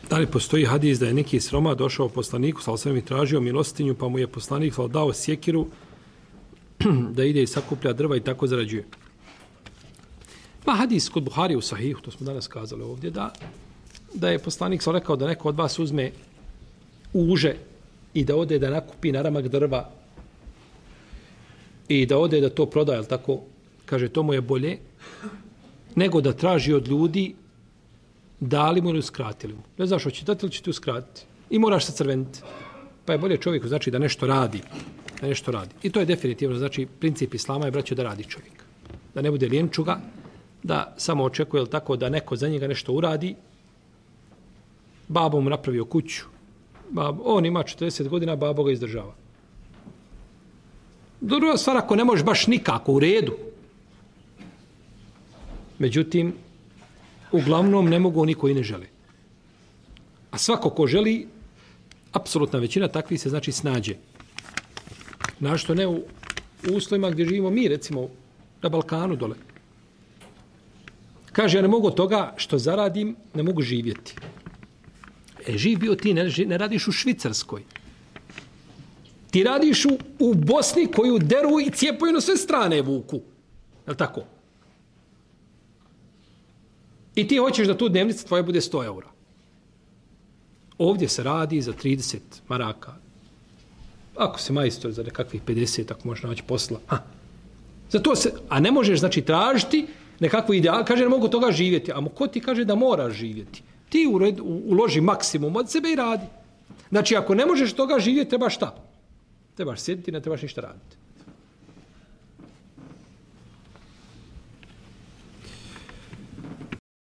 Da li postoji hadis da je neki siroma došao poslaniku, sallallahu alejhi ve sellem, i tražio milostinju, pa mu je poslanik dao sjekiru da ide i sakuplja drva i tako zarađuje? Ma hadis kod Buhari u Sahihu, to smo danas kazali ovdje, da je poslanik rekao da neko od vas uzme uže i da ode da nakupi naramak drva i da ode da to prodaje, ali tako, kaže, to mu je bolje nego da traži od ljudi dali mu ili uskratili mu. Ne znaš, hoće dati ili će ti uskratiti. I moraš se crveniti. Pa je bolje čovjeku, znači, da nešto radi. Da nešto radi. I to je definitivno, znači, princip islama je, braćo, da radi čovjek. Da ne bude lijenčuga, da samo očekuje, tako, da neko za njega nešto uradi. Babo mu napravio kuću. On ima 40 godina, babo ga izdržava. Druga stvar, ako ne možeš baš nikako u redu. Međutim, uglavnom ne mogu niko i ne želi. A svako ko želi, apsolutna većina takvih se znači snađe. Našto ne u uslovima gdje živimo mi, recimo na Balkanu dole. Kaže, ja ne mogu toga što zaradim, ne mogu živjeti. Živ bio ti, ne radiš u Švicarskoj. Ti radiš u Bosni koju deru i cijepaju na sve strane vuku. Je li tako? I ti hoćeš da tu dnevnica tvoja bude 100 eura. Ovdje se radi za 30 maraka. Ako se majstor za nekakvih 50, ako možeš naći posla. Za to se, a ne možeš, znači, tražiti nekakvu ideal. Kaže, ne mogu toga živjeti. A ko ti kaže da moraš živjeti? Ti uloži maksimum od sebe i radi. Znači, ako ne možeš toga živjeti, trebaš šta? Trebaš sjediti, ne trebaš ništa raditi.